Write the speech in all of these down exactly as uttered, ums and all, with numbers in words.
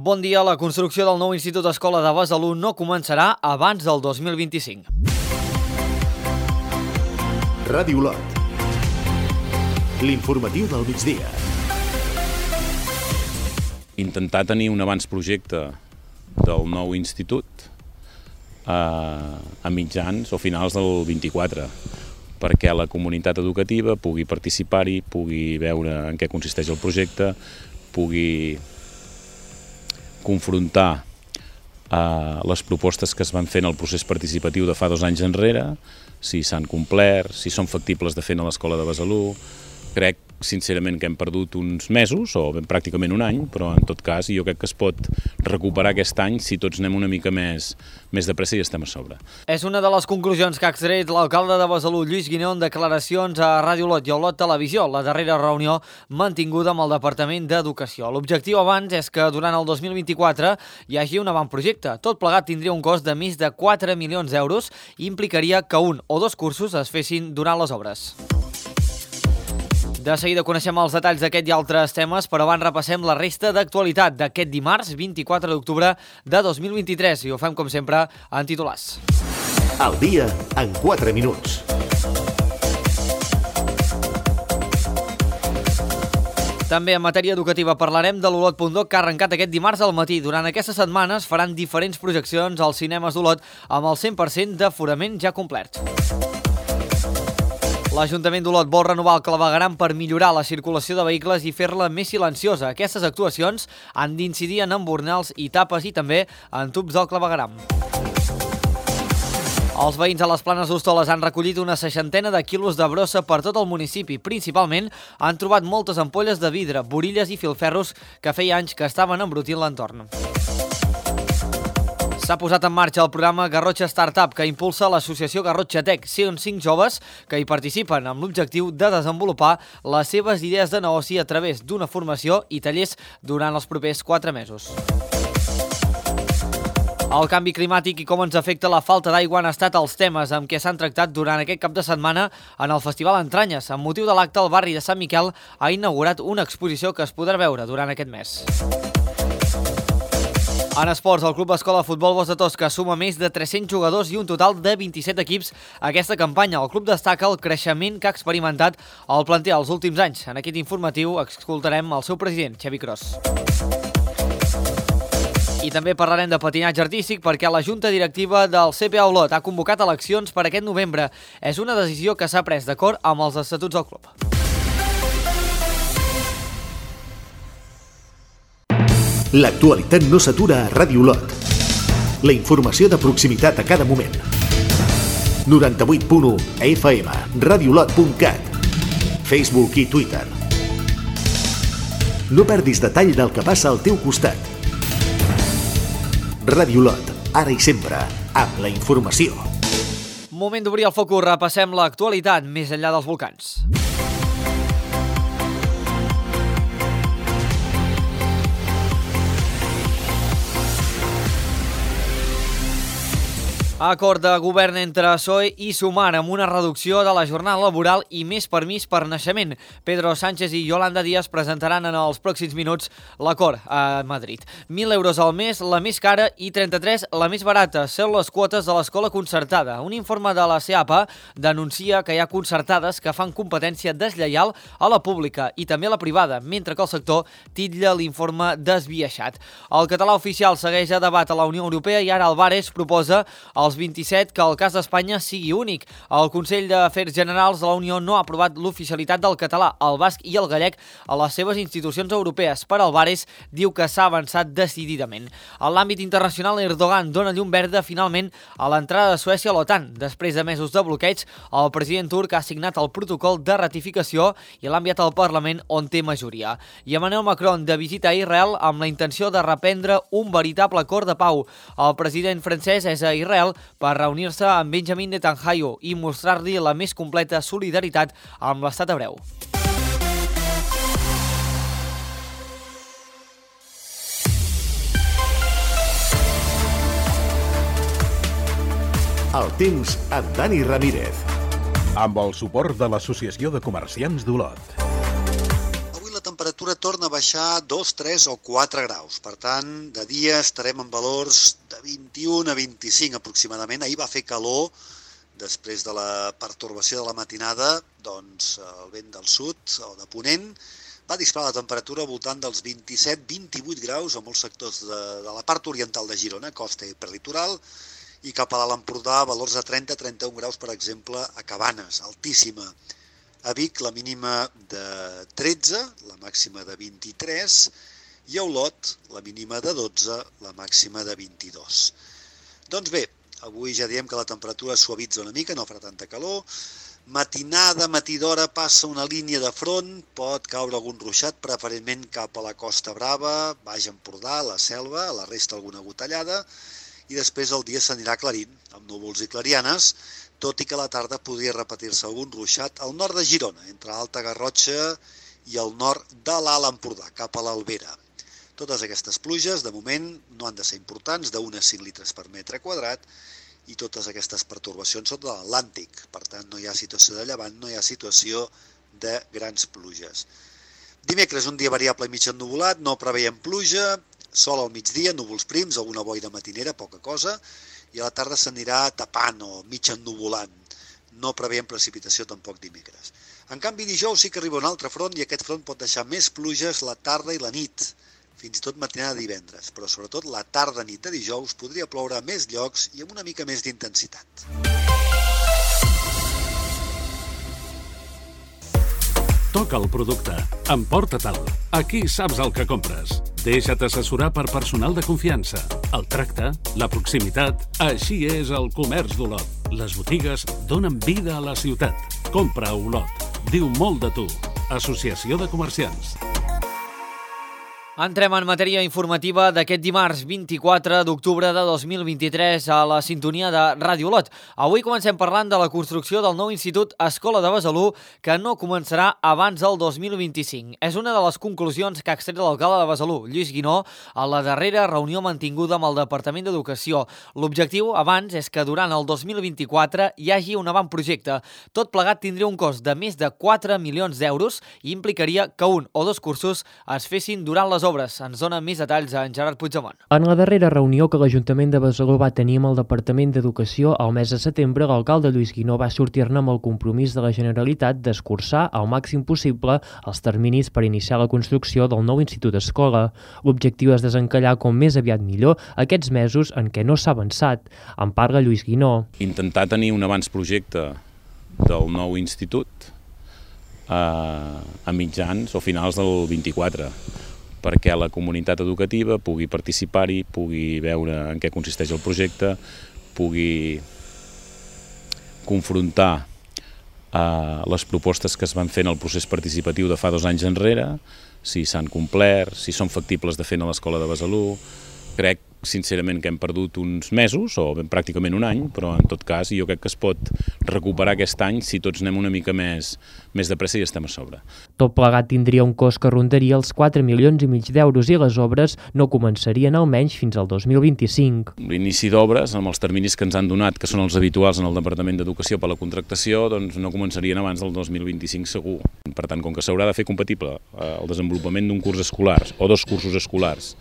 Bon dia. La construcció del nou Institut Escola de Besalú no començarà abans del dos mil vint-i-cinc. Ràdio Olot. L'informatiu del migdia. Intentar tenir un abans-projecte del nou institut a, a mitjans o finals del vint-i-quatre, perquè la comunitat educativa pugui participar-hi, pugui veure en què consisteix el projecte, pugui confrontar eh, les propostes que es van fer en el procés participatiu de fa dos anys enrere, si s'han complert, si són factibles de fer a l'Escola de Besalú. Crec, sincerament, que hem perdut uns mesos, o ben pràcticament un any, però en tot cas jo crec que es pot recuperar aquest any si tots anem una mica més, més de pressa i estem a sobre. És una de les conclusions que ha extret l'alcalde de Besalú, Lluís Guinó, en declaracions a Ràdio Olot i a Olot Televisió, la darrera reunió mantinguda amb el Departament d'Educació. L'objectiu abans és que durant el dos mil vint-i-quatre hi hagi un avantprojecte. Tot plegat tindria un cost de més de quatre milions d'euros i implicaria que un o dos cursos es fessin durant les obres. De seguida coneixem els detalls d'aquest i altres temes, però abans repassem la resta d'actualitat d'aquest dimarts, vint-i-quatre d'octubre de dos mil vint-i-tres, i ho fem, com sempre, en titulars. Al dia, en quatre minuts. També en matèria educativa parlarem de l'Olot punt doc, que ha arrencat aquest dimarts al matí. Durant aquestes setmanes faran diferents projeccions als cinemes d'Olot amb el cent per cent d'aforament ja complert. L'Ajuntament d'Olot vol renovar el clavegueram per millorar la circulació de vehicles i fer-la més silenciosa. Aquestes actuacions han d'incidir en embornals i tapes i també en tubs del clavegueram. Els veïns a les Planes d'Hostoles han recollit una seixantena de quilos de brossa per tot el municipi. Principalment han trobat moltes ampolles de vidre, borilles i filferros que feia anys que estaven embrutint l'entorn. S'ha posat en marxa el programa Garrotxa Startup, que impulsa l'associació Garrotxa Tech. Són cinc joves que hi participen amb l'objectiu de desenvolupar les seves idees de negoci a través d'una formació i tallers durant els propers quatre mesos. El canvi climàtic i com ens afecta la falta d'aigua han estat els temes amb què s'han tractat durant aquest cap de setmana en el Festival Entranyes. Amb motiu de l'acte, el barri de Sant Miquel ha inaugurat una exposició que es podrà veure durant aquest mes. En esports, el Club Escola Futbol Bosc de Tosca suma més de tres-cents jugadors i un total de vint-i-set equips a aquesta campanya. El club destaca el creixement que ha experimentat el planter els últims anys. En aquest informatiu escoltarem el seu president, Xavi Cros. I també parlarem de patinatge artístic perquè la Junta Directiva del C P A Olot ha convocat eleccions per aquest novembre. És una decisió que s'ha pres d'acord amb els estatuts del club. L'actualitat no s'atura a Ràdio Olot. La informació de proximitat a cada moment. noranta-vuit punt u F M, radiolot punt cat, Facebook i Twitter. No perdis detall del que passa al teu costat. Ràdio Olot, ara i sempre, amb la informació. Moment d'obrir el focus, repassem l'actualitat més enllà dels volcans. Acord de govern entre P S O E i Sumar amb una reducció de la jornada laboral i més permís per naixement. Pedro Sánchez i Yolanda Díaz presentaran en els pròxims minuts l'acord a Madrid. mil euros al mes, la més cara, i trenta-tres la més barata. Són les quotes de l'escola concertada. Un informe de la C E A P A denuncia que hi ha concertades que fan competència deslleial a la pública i també a la privada, mentre que el sector titlla l'informe desbiaixat. El català oficial segueix a debat a la Unió Europea i ara Álvarez proposa el als vint-i-set que el cas d'Espanya sigui únic. El Consell d'Afers Generals de la Unió no ha aprovat l'oficialitat del català, el basc i el gallec a les seves institucions europees. Per Álvarez diu que s'ha avançat decididament. En l'àmbit internacional, Erdogan dona llum verda finalment a l'entrada de Suècia a l'OTAN. Després de mesos de bloqueig, el president turc ha signat el protocol de ratificació i l'ha enviat al Parlament, on té majoria. I Emmanuel Macron de visita a Israel amb la intenció de reprendre un veritable acord de pau. El president francès és a Israel per reunir-se amb Benjamin Netanyahu i mostrar-li la més completa solidaritat amb l'estat hebreu. El temps amb Dani Ramírez. Amb el suport de l'Associació de Comerciants d'Olot. Avui la temperatura temperatura torna a baixar dos, tres o quatre graus. Per tant, de dia estarem en valors de vint-i-un a vint-i-cinc aproximadament. Ahir va fer calor, després de la pertorbació de la matinada, doncs el vent del sud o de ponent va disparar la temperatura al voltant dels vint-i-set a vint-i-vuit graus a molts sectors de, de la part oriental de Girona, costa i prelitoral, i cap a l'Alt Empordà valors de trenta a trenta-un graus, per exemple, a Cabanes, altíssima. A Vic la mínima de tretze, la màxima de vint-i-tres, i a Olot la mínima de dotze, la màxima de vint-i-dos. Doncs bé, avui ja diem que la temperatura suavitza una mica, no farà tanta calor. Matinada, matí d'hora, passa una línia de front, pot caure algun ruixat, preferentment cap a la Costa Brava, Baix Empordà, la Selva, a la resta alguna gotellada, i després el dia s'anirà aclarint, amb núvols i clarianes, tot i que a la tarda podria repetir-se algun ruixat al nord de Girona, entre Alta Garrotxa i el nord de l'Alt Empordà, cap a l'Albera. Totes aquestes pluges, de moment, no han de ser importants, d'un a cinc litres per metre quadrat, i totes aquestes pertorbacions són de l'Atlàntic. Per tant, no hi ha situació de llevant, no hi ha situació de grans pluges. Dimecres, un dia variable i mig ennuvolat, no preveiem pluja, sol al migdia, núvols prims, alguna boira matinera, poca cosa, i a la tarda s'anirà tapant o mig ennuvolant. No preveiem precipitació tampoc dimecres. En canvi, dijous sí que arriba un altre front i aquest front pot deixar més pluges la tarda i la nit, fins i tot matinada de divendres, però sobretot la tarda-nit de dijous podria ploure a més llocs i amb una mica més d'intensitat. Toca el producte. Emporta-te'l. Aquí saps el que compres. Deixa't assessorar per personal de confiança. El tracte, la proximitat... Així és el comerç d'Olot. Les botigues donen vida a la ciutat. Compra a Olot. Diu molt de tu. Associació de Comerciants. Entrem en matèria informativa d'aquest dimarts vint-i-quatre d'octubre de dos mil vint-i-tres a la sintonia de Ràdio Olot. Avui comencem parlant de la construcció del nou Institut Escola de Besalú, que no començarà abans del dos mil vint-i-cinc. És una de les conclusions que ha extret l'alcalde de Besalú, Lluís Guinó, a la darrera reunió mantinguda amb el Departament d'Educació. L'objectiu, abans, és que durant el dos mil vint-i-quatre hi hagi un avantprojecte. Tot plegat tindria un cost de més de quatre milions d'euros i implicaria que un o dos cursos es fessin durant les obres. Ens dona més detalls en Gerard Puigdemont. En la darrera reunió que l'Ajuntament de Besalú va tenir amb el Departament d'Educació al mes de setembre, l'alcalde Lluís Guinó va sortir-ne amb el compromís de la Generalitat d'escurçar al màxim possible els terminis per iniciar la construcció del nou Institut Escola. L'objectiu és desencallar com més aviat millor aquests mesos en què no s'ha avançat. En parla Lluís Guinó. Intentar tenir un abans projecte del nou institut eh, a mitjans o finals del vint-i-quatre, perquè la comunitat educativa pugui participar-hi, pugui veure en què consisteix el projecte, pugui confrontar eh, les propostes que es van fer en el procés participatiu de fa dos anys enrere, si s'han complert, si són factibles de fer a l'Escola de Besalú. Crec, sincerament, que hem perdut uns mesos, o ben pràcticament un any, però en tot cas jo crec que es pot recuperar aquest any si tots anem una mica més, més de pressa i estem a sobre. Tot plegat tindria un cost que rondaria els quatre milions i mig d'euros i les obres no començarien almenys fins al dos mil vint-i-cinc. L'inici d'obres, amb els terminis que ens han donat, que són els habituals en el Departament d'Educació per la contractació, doncs no començarien abans del dos mil vint-i-cinc segur. Per tant, com que s'haurà de fer compatible el desenvolupament d'un curs escolar o dos cursos escolars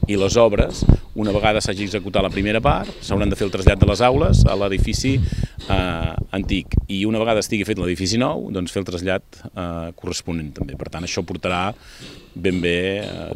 i les obres, una vegada s'hagi executat la primera part, s'hauran de fer el trasllat de les aules a l'edifici eh, antic i una vegada estigui fet l'edifici nou, doncs fer el trasllat eh, corresponent també. Per tant, això portarà ben bé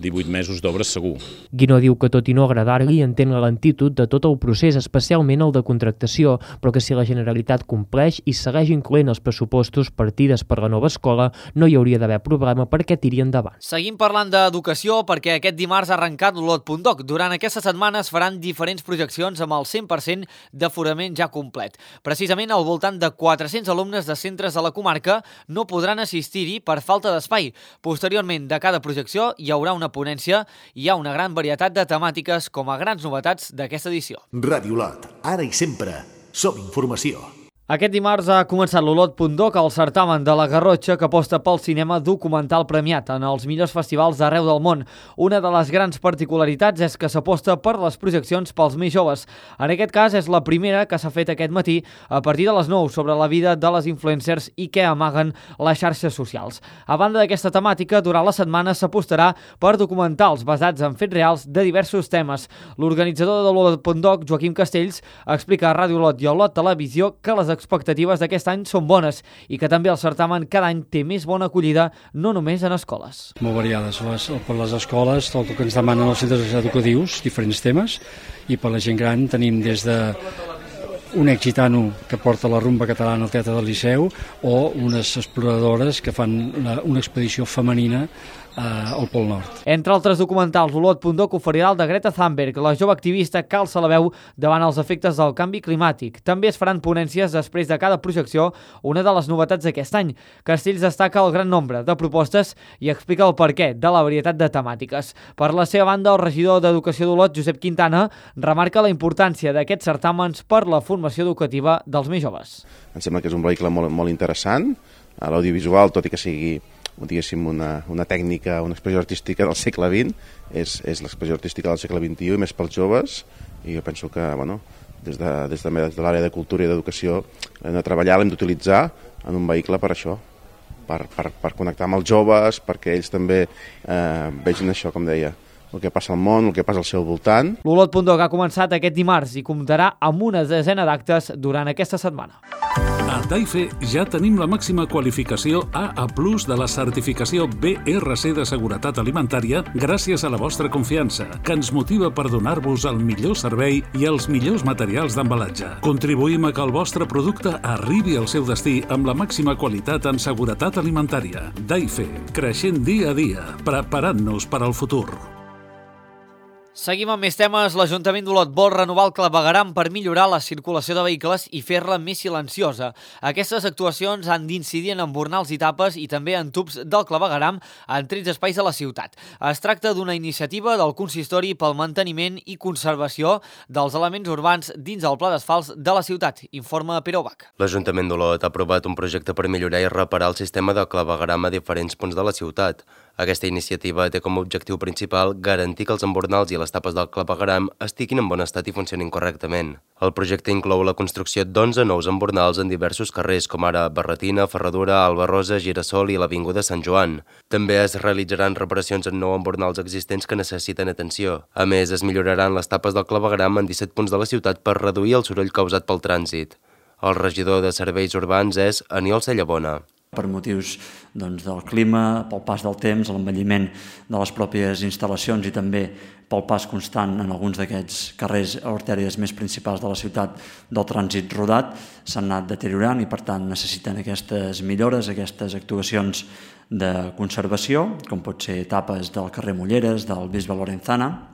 divuit mesos d'obres segur. Guinó diu que tot i no agradar-li entén la lentitud de tot el procés, especialment el de contractació, però que si la Generalitat compleix i segueix incloent els pressupostos partides per la nova escola, no hi hauria d'haver problema perquè tiri endavant. Seguim parlant d'educació perquè aquest dimarts ha arrencat l'Olot punt doc. Durant aquesta setmana es faran diferents projeccions amb el cent per cent d'aforament ja complet. Precisament al voltant de quatre-cents alumnes de centres de la comarca no podran assistir-hi per falta d'espai. Posteriorment, de cada projecció hi haurà una ponència i hi ha una gran varietat de temàtiques com a grans novetats d'aquesta edició. Ràdio Olot, ara i sempre, som informació. Aquest dimarts ha començat l'Olot punt doc, el certamen de la Garrotxa que aposta pel cinema documental premiat en els millors festivals d'arreu del món. Una de les grans particularitats és que s'aposta per les projeccions pels més joves. En aquest cas és la primera que s'ha fet aquest matí a partir de les nou sobre la vida de les influencers i què amaguen les xarxes socials. A banda d'aquesta temàtica, durant la setmana s'apostarà per documentals basats en fets reals de diversos temes. L'organitzador de l'Olot punt doc, Joaquim Castells, explica a Ràdio Olot i a Olot Televisió que les expectatives d'aquest any són bones i que també el certamen cada any té més bona acollida, no només en escoles. Molt variades. Les, per les escoles, tot el que ens demanen els centres educatius, diferents temes, i per la gent gran tenim des de un ex gitano que porta la rumba catalana al Teatre del Liceu o unes exploradores que fan una, una expedició femenina al Pol Nord. Entre altres documentals, l'Olot punt doc oferirà el de Greta Thunberg, la jove activista que alça la veu davant els efectes del canvi climàtic. També es faran ponències després de cada projecció, una de les novetats d'aquest any. Castells destaca el gran nombre de propostes i explica el perquè de la varietat de temàtiques. Per la seva banda, el regidor d'Educació d'Olot, Josep Quintana, remarca la importància d'aquests certàmens per la formació educativa dels més joves. Em sembla que és un vehicle molt, molt interessant. L'audiovisual, tot i que sigui diguéssim, una, una tècnica, una expressió artística del segle vint, és, és l'expressió artística del segle vint-i-u i més pels joves, i jo penso que bueno, des de, des de, des de l'àrea de cultura i d'educació l'hem de treballar, l'hem d'utilitzar en un vehicle per això, per, per, per connectar amb els joves, perquè ells també eh, vegin això, com deia, el que passa al món, el que passa al seu voltant. L'Olot punt doc ha començat aquest dimarts i comptarà amb una desena d'actes durant aquesta setmana. A Taife ja tenim la màxima qualificació A A plus de la certificació B R C de seguretat alimentària gràcies a la vostra confiança, que ens motiva per donar-vos el millor servei i els millors materials d'embalatge. Contribuïm a que el vostre producte arribi al seu destí amb la màxima qualitat en seguretat alimentària. Taife, creixent dia a dia, preparant-nos per al futur. Seguim amb més temes. L'Ajuntament d'Olot vol renovar el clavegueram per millorar la circulació de vehicles i fer-la més silenciosa. Aquestes actuacions han d'incidir en embornals i tapes i també en tubs del clavegueram en tretze espais de la ciutat. Es tracta d'una iniciativa del consistori pel manteniment i conservació dels elements urbans dins el pla d'asfalts de la ciutat, informa Pere Ubach. L'Ajuntament d'Olot ha aprovat un projecte per millorar i reparar el sistema de clavegueram a diferents punts de la ciutat. Aquesta iniciativa té com a objectiu principal garantir que els embornals i les tapes del clavegueram estiguin en bon estat i funcionin correctament. El projecte inclou la construcció d'onze nous embornals en diversos carrers, com ara Barretina, Ferradura, Alba Rosa, Girasol i l'Avinguda Sant Joan. També es realitzaran reparacions en nou embornals existents que necessiten atenció. A més, es milloraran les tapes del clavegueram en disset punts de la ciutat per reduir el soroll causat pel trànsit. El regidor de Serveis Urbans és Aniol Cellabona. Per motius doncs, del clima, pel pas del temps, l'envelliment de les pròpies instal·lacions i també pel pas constant en alguns d'aquests carrers o artèries més principals de la ciutat del trànsit rodat, s'han anat deteriorant i per tant necessiten aquestes millores, aquestes actuacions de conservació, com pot ser tapes del carrer Molleres, del Bisbe Lorenzana,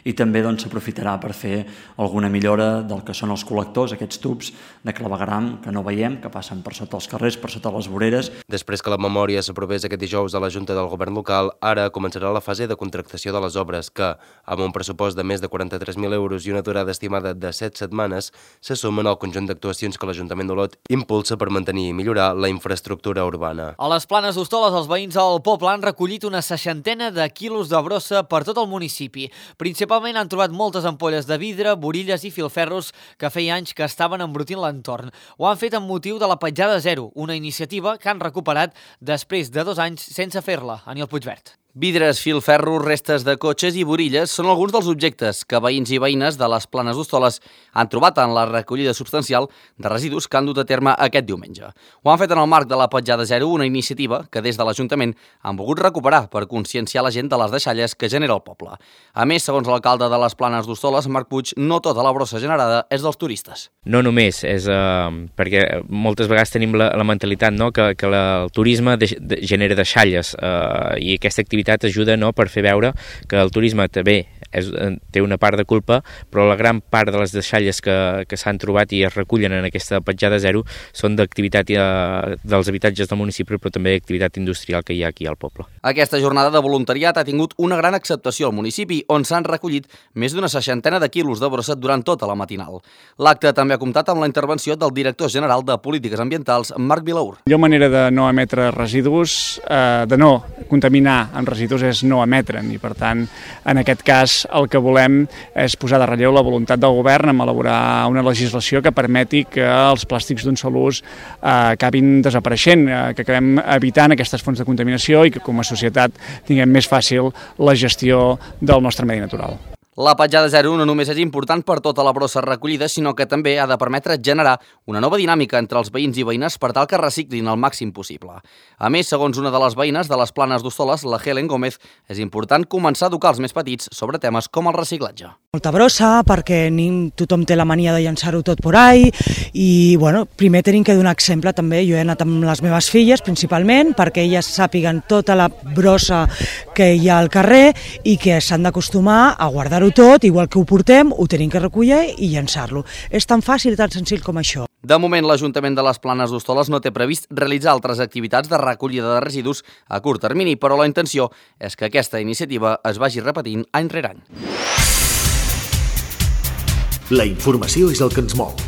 i també doncs, s'aprofitarà per fer alguna millora del que són els col·lectors, aquests tubs de clavegueram que no veiem, que passen per sota els carrers, per sota les voreres. Després que la memòria s'aprovés aquest dijous a la Junta del Govern local, ara començarà la fase de contractació de les obres que, amb un pressupost de més de quaranta-tres mil euros i una durada estimada de set setmanes, se sumen al conjunt d'actuacions que l'Ajuntament d'Olot impulsa per mantenir i millorar la infraestructura urbana. A les Planes d'Hostoles, els veïns del poble han recollit una seixantena de quilos de brossa per tot el municipi. Principalment han trobat moltes ampolles de vidre, borilles i filferros que feia anys que estaven embrutint l'entorn. Ho han fet amb motiu de la petjada zero, una iniciativa que han recuperat després de dos anys sense fer-la. Aniol Puigvert. Vidres, filferros, restes de cotxes i borilles són alguns dels objectes que veïns i veïnes de les Planes d'Hostoles han trobat en la recollida substancial de residus que han dut a terme aquest diumenge. Ho han fet en el marc de la Petjada Zero, una iniciativa que des de l'Ajuntament han volgut recuperar per conscienciar la gent de les deixalles que genera el poble. A més, segons l'alcalde de les Planes d'Hostoles, Marc Puig, no tota la brossa generada és dels turistes. No només, és uh, perquè moltes vegades tenim la, la mentalitat no? que, que la, el turisme de, de, genera deixalles uh, i aquesta activitat activitat ajuda, no?, per fer veure que el turisme també és, té una part de culpa, però la gran part de les deixalles que, que s'han trobat i es recullen en aquesta petjada zero són d'activitat eh, dels habitatges del municipi, però també d'activitat industrial que hi ha aquí al poble. Aquesta jornada de voluntariat ha tingut una gran acceptació al municipi, on s'han recollit més d'una seixantena de quilos de brossa durant tota la matinal. L'acte també ha comptat amb la intervenció del director general de Polítiques Ambientals, Marc Vilaur. La millor manera de no emetre residus, eh, de no contaminar amb residus, és no emetre'n, i per tant, en aquest cas, el que volem és posar de relleu la voluntat del govern en elaborar una legislació que permeti que els plàstics d'un sol ús eh, acabin desapareixent, eh, que acabem evitant aquestes fonts de contaminació i que com a societat tinguem més fàcil la gestió del nostre medi natural. La petjada zero no només és important per tota la brossa recollida, sinó que també ha de permetre generar una nova dinàmica entre els veïns i veïnes per tal que reciclin el màxim possible. A més, segons una de les veïnes de les Planes d'Hostoles, la Helen Gómez, és important començar a educar els més petits sobre temes com el reciclatge. Molta brossa, perquè tothom té la mania de llançar-ho tot por ahí, i bueno, primer tenim que donar exemple també. Jo he anat amb les meves filles principalment perquè elles sàpiguen tota la brossa que hi ha al carrer i que s'han d'acostumar a guardar-ho tot, igual que ho portem, ho tenim que recollir i llançar-lo. És tan fàcil i tan senzill com això. De moment, l'Ajuntament de les Planes d'Hostoles no té previst realitzar altres activitats de recollida de residus a curt termini, però la intenció és que aquesta iniciativa es vagi repetint any rere any. La informació és el que ens mou.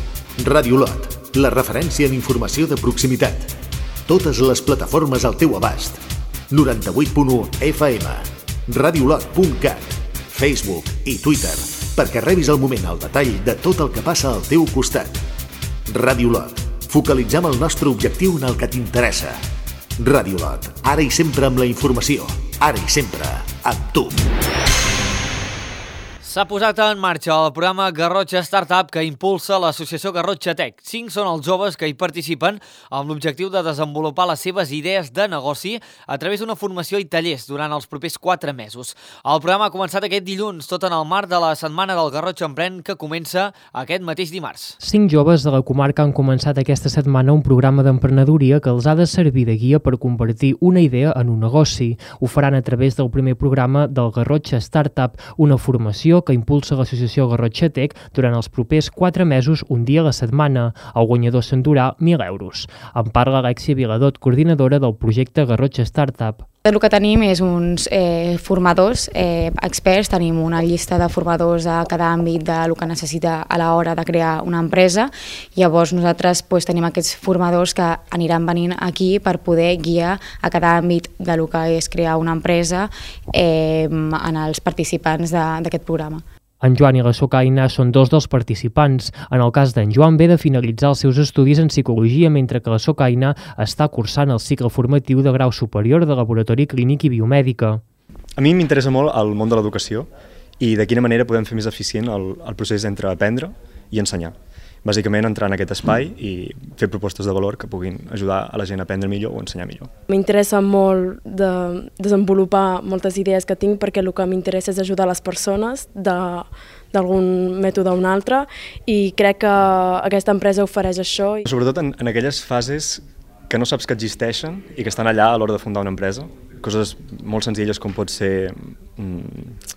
Ràdio Lot, la referència en informació de proximitat. Totes les plataformes al teu abast. noranta-vuit punt u F M, radiolot punt cat, Facebook i Twitter, perquè rebis al moment el detall de tot el que passa al teu costat. Ràdio Lot, focalitzem el nostre objectiu en el que t'interessa. Ràdio Lot, ara i sempre amb la informació, ara i sempre amb tu. S'ha posat en marxa el programa Garrotxa Startup que impulsa l'associació Garrotxa Tech. Cinc són els joves que hi participen amb l'objectiu de desenvolupar les seves idees de negoci a través d'una formació i tallers durant els propers quatre mesos. El programa ha començat aquest dilluns, tot en el marc de la Setmana del Garrotxa Emprèn, que comença aquest mateix dimarts. Cinc joves de la comarca han començat aquesta setmana un programa d'emprenedoria que els ha de servir de guia per convertir una idea en un negoci. Ho faran a través del primer programa del Garrotxa Startup, una formació que impulsa l'associació Garrotxa Tech durant els propers quatre mesos, un dia a la setmana. El guanyador s'endurà mil euros. En parla Alexia Viladot, coordinadora del projecte Garrotxa Startup. El que tenim és uns eh, formadors eh, experts, tenim una llista de formadors a cada àmbit del que necessita a l'hora de crear una empresa. Llavors nosaltres pues, tenim aquests formadors que aniran venint aquí per poder guiar a cada àmbit del que és crear una empresa eh, en els participants d'aquest programa. En Joan i la Socaina són dos dels participants. En el cas d'en Joan ve de finalitzar els seus estudis en psicologia, mentre que la Socaina està cursant el cicle formatiu de grau superior de laboratori clínic i biomèdica. A mi m'interessa molt el món de l'educació i de quina manera podem fer més eficient el, el procés entre aprendre i ensenyar. Bàsicament entrar en aquest espai i fer propostes de valor que puguin ajudar a la gent a aprendre millor o ensenyar millor. M'interessa molt de desenvolupar moltes idees que tinc perquè el que m'interessa és ajudar les persones d'algun mètode o un altre i crec que aquesta empresa ofereix això. Sobretot en, en aquelles fases que no saps que existeixen i que estan allà a l'hora de fundar una empresa. Coses molt senzilles com pot ser... Mm,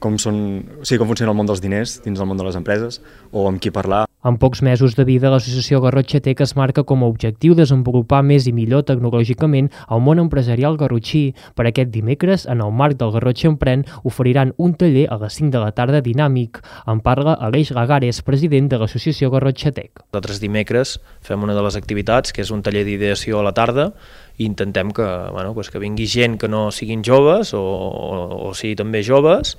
com, són, o sigui, com funciona el món dels diners dins del món de les empreses o amb qui parlar. En pocs mesos de vida, l'associació Garrotxa Tech es marca com a objectiu desenvolupar més i millor tecnològicament el món empresarial garrotxí. Per aquest dimecres, en el marc del Garrotxa Emprèn, oferiran un taller a les cinc de la tarda dinàmic. En parla Aleix Lagares, president de l'associació Garrotxa Tech. Nosaltres dimecres fem una de les activitats, que és un taller d'ideació a la tarda, i intentem que, bueno, pues que vingui gent que no siguin joves o, o, o sigui també joves,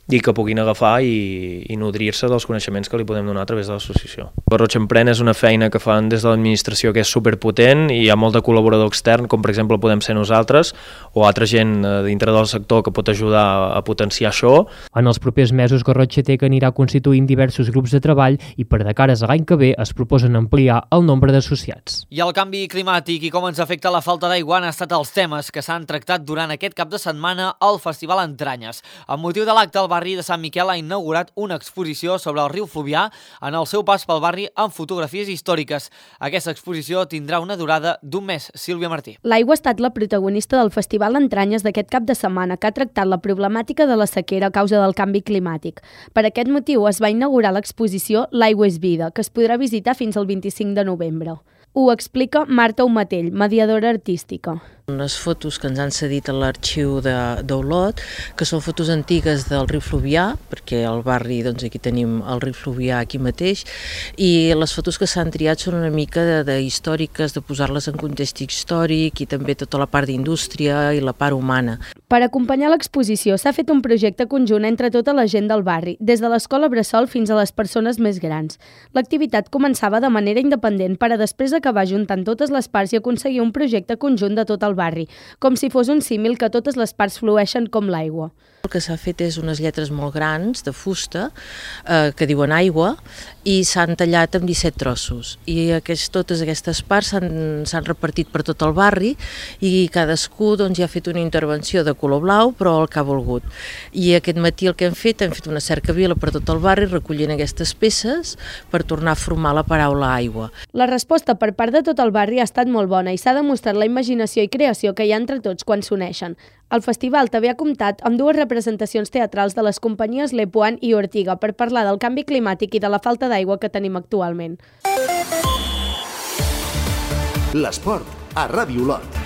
i que puguin agafar i, i nodrir-se dels coneixements que li podem donar a través de l'associació. Garrotxa Emprèn és una feina que fan des de l'administració que és superpotent i hi ha molt de col·laborador extern, com per exemple podem ser nosaltres o altra gent dintre del sector que pot ajudar a potenciar això. En els propers mesos, Garrotxa Tech anirà constituint diversos grups de treball i per de cares a l'any que ve es proposen ampliar el nombre d'associats. I el canvi climàtic i com ens afecta la falta d'aigua han estat els temes que s'han tractat durant aquest cap de setmana al Festival Entranyes. Amb motiu de l'acte, el barri de Sant Miquel ha inaugurat una exposició sobre el riu Fluvià en el seu pas pel barri amb fotografies històriques. Aquesta exposició tindrà una durada d'un mes. Sílvia Martí. L'aigua ha estat la protagonista del Festival Entranyes d'aquest cap de setmana, que ha tractat la problemàtica de la sequera a causa del canvi climàtic. Per aquest motiu es va inaugurar l'exposició L'aigua és vida, que es podrà visitar fins al vint-i-cinc de novembre. Ho explica Marta Umatell, mediadora artística. Unes fotos que ens han cedit a l'arxiu d'Olot, que són fotos antigues del riu Fluvià, perquè al barri, doncs aquí tenim el riu Fluvià aquí mateix, i les fotos que s'han triat són una mica de, de històriques, de posar-les en context històric i també tota la part d'indústria i la part humana. Per acompanyar l'exposició s'ha fet un projecte conjunt entre tota la gent del barri, des de l'escola Bressol fins a les persones més grans. L'activitat començava de manera independent per a després acabar juntant totes les parts i aconseguir un projecte conjunt de tot el barri, com si fos un símil que totes les parts flueixen com l'aigua. El que s'ha fet és unes lletres molt grans de fusta eh, que diuen aigua i s'han tallat en disset trossos i aquest, totes aquestes parts s'han repartit per tot el barri i cadascú doncs, ja ha fet una intervenció de color blau però el que ha volgut. I aquest matí el que hem fet, hem fet una cercavila per tot el barri recollint aquestes peces per tornar a formar la paraula aigua. La resposta per part de tot el barri ha estat molt bona i s'ha demostrat la imaginació i creació que hi ha entre tots quan s'uneixen. El festival també ha comptat amb dues representacions teatrals de les companyies Lepuan i Ortiga per parlar del canvi climàtic i de la falta d'aigua que tenim actualment. L'esport a Ràdio Olot.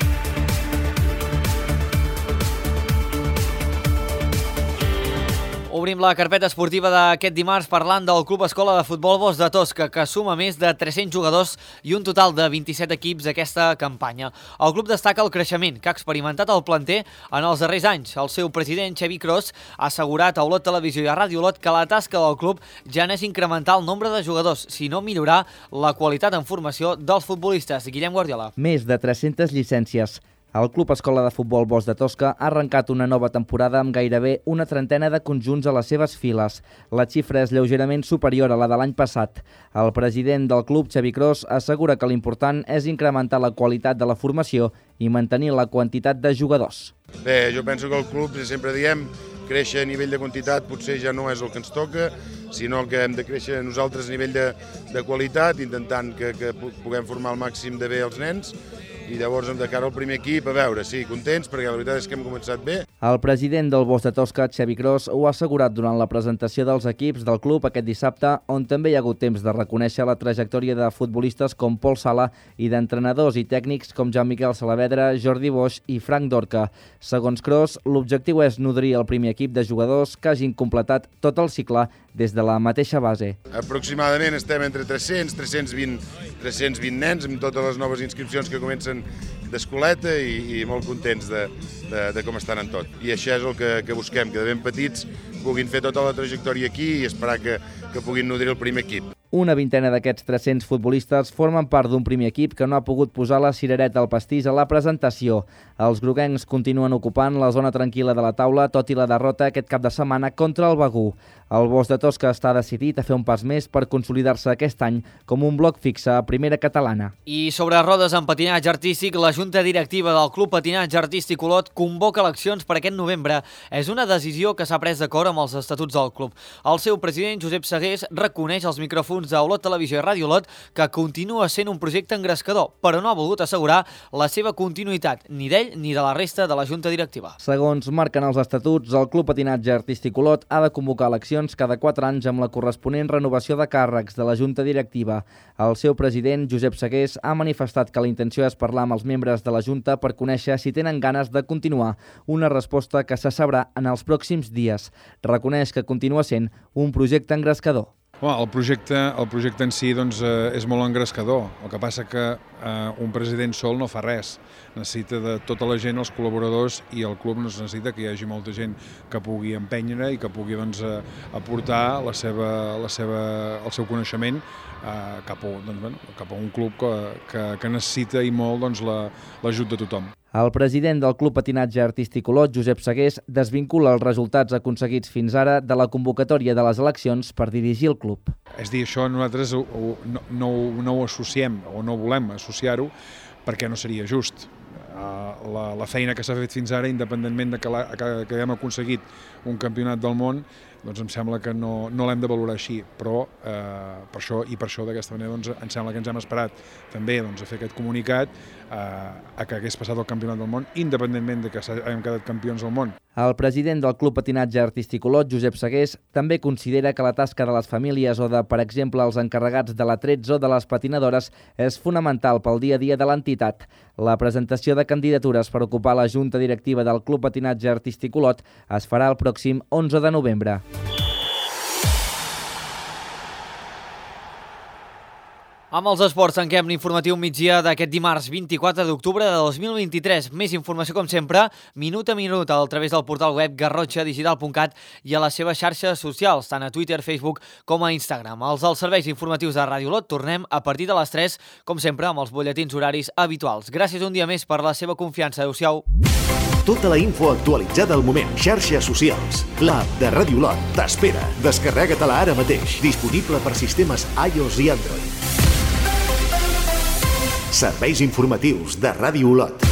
Obrim la carpeta esportiva d'aquest dimarts parlant del Club Escola de Futbol Bosch de Tosca, que suma més de tres-cents jugadors i un total de vint-i-set equips aquesta campanya. El club destaca el creixement que ha experimentat el planter en els darrers anys. El seu president, Xavi Cros, ha assegurat a Olot Televisió i a Ràdio Olot que la tasca del club ja no és incrementar el nombre de jugadors, sinó millorar la qualitat en formació dels futbolistes. Guillem Guardiola. Més de tres-centes llicències. El Club Escola de Futbol Bosch de Tosca ha arrencat una nova temporada amb gairebé una trentena de conjunts a les seves files. La xifra és lleugerament superior a la de l'any passat. El president del club, Xavi Cros, assegura que l'important és incrementar la qualitat de la formació i mantenir la quantitat de jugadors. Bé, jo penso que el club, sempre diem, créixer a nivell de quantitat potser ja no és el que ens toca, sinó que hem de créixer nosaltres a nivell de, de qualitat, intentant que, que puguem formar al màxim de bé els nens. I llavors, de cara al primer equip, a veure, sí, contents, perquè la veritat és que hem començat bé. El president del Bosch de Tosca, Xavi Cros, ho ha assegurat durant la presentació dels equips del club aquest dissabte, on també hi ha hagut temps de reconèixer la trajectòria de futbolistes com Pol Sala i d'entrenadors i tècnics com Jean-Miquel Salavedra, Jordi Bosch i Frank Dorca. Segons Cros, l'objectiu és nodrir el primer equip de jugadors que hagin completat tot el cicle des de la mateixa base. Aproximadament estem entre tres-cents, tres-cents vint, tres-cents vint nens amb totes les noves inscripcions que comencen d'escoleta i, i molt contents de, de, de com estan en tot. I això és el que, que busquem, que de ben petits puguin fer tota la trajectòria aquí i esperar que, que puguin nodrir el primer equip. Una vintena d'aquests tres-cents futbolistes formen part d'un primer equip que no ha pogut posar la cirereta al pastís a la presentació. Els groguencs continuen ocupant la zona tranquil·la de la taula, tot i la derrota aquest cap de setmana contra el Begur. El Bosch de Tosca està decidit a fer un pas més per consolidar-se aquest any com un bloc fixe a primera catalana. I sobre rodes en patinatge artístic, la Junta Directiva del Club Patinatge Artístic Olot convoca eleccions per aquest novembre. És una decisió que s'ha pres d'acord amb els estatuts del club. El seu president, Josep Segués, reconeix als micròfons de Olot Televisió i Ràdio Olot que continua sent un projecte engrescador, però no ha volgut assegurar la seva continuïtat, ni d'ell ni de la resta de la Junta Directiva. Segons marquen els estatuts, el Club Patinatge Artístic Olot ha de convocar eleccions cada quatre anys amb la corresponent renovació de càrrecs de la Junta Directiva. El seu president, Josep Segués, ha manifestat que la intenció és parlar amb els membres de la Junta per conèixer si tenen ganes de continuar, una resposta que se sabrà en els pròxims dies. Reconeix que continua sent un projecte engrescador. Bueno, el, projecte, el projecte en si doncs, eh, és molt engrescador. El que passa que eh, un president sol no fa res. Necessita de tota la gent, els col·laboradors, i el club necessita que hi hagi molta gent que pugui empènyer i que pugui doncs, eh, aportar la seva, la seva, el seu coneixement eh, cap, a, doncs, bueno, cap a un club que, que, que necessita i molt doncs, l'ajut la, de tothom. El president del Club Patinatge Artístic Olot, Josep Segués, desvincula els resultats aconseguits fins ara de la convocatòria de les eleccions per dirigir el club. És dir, això nosaltres ho, ho, no, no, no ho associem o no volem associar-ho perquè no seria just. la, la feina que s'ha fet fins ara, independentment de que, la, que, que hem aconseguit un campionat del món, doncs em sembla que no, no l'hem de valorar així, però eh, per això i per això d'aquesta manera doncs, em sembla que ens hem esperat també doncs, a fer aquest comunicat eh, a que hagués passat el campionat del món, independentment de que hem quedat campions del món. El president del Club Patinatge Artístic Olot, Josep Segués, també considera que la tasca de les famílies o de, per exemple, els encarregats de l'atrets o de les patinadores és fonamental pel dia a dia de l'entitat. La presentació de candidatures per ocupar la Junta Directiva del Club Patinatge Artístic Olot es farà el pròxim onze de novembre. Amb els esports tanquem l'informatiu migdia d'aquest dimarts vint-i-quatre d'octubre de dos mil vint-i-tres. Més informació, com sempre, minut a minut a través del portal web garrotxa digital punt cat i a les seves xarxes socials, tant a Twitter, Facebook com a Instagram. Els dels serveis informatius de Ràdio Olot tornem a partir de les tres, com sempre, amb els butlletins horaris habituals. Gràcies un dia més per la seva confiança. Adéu-siau. Tota la info actualitzada al moment. Xarxes socials. L'app de Ràdio Olot t'espera. Descarrega-te-la ara mateix. Disponible per sistemes iOS i Android. Serveis informatius de Ràdio Olot.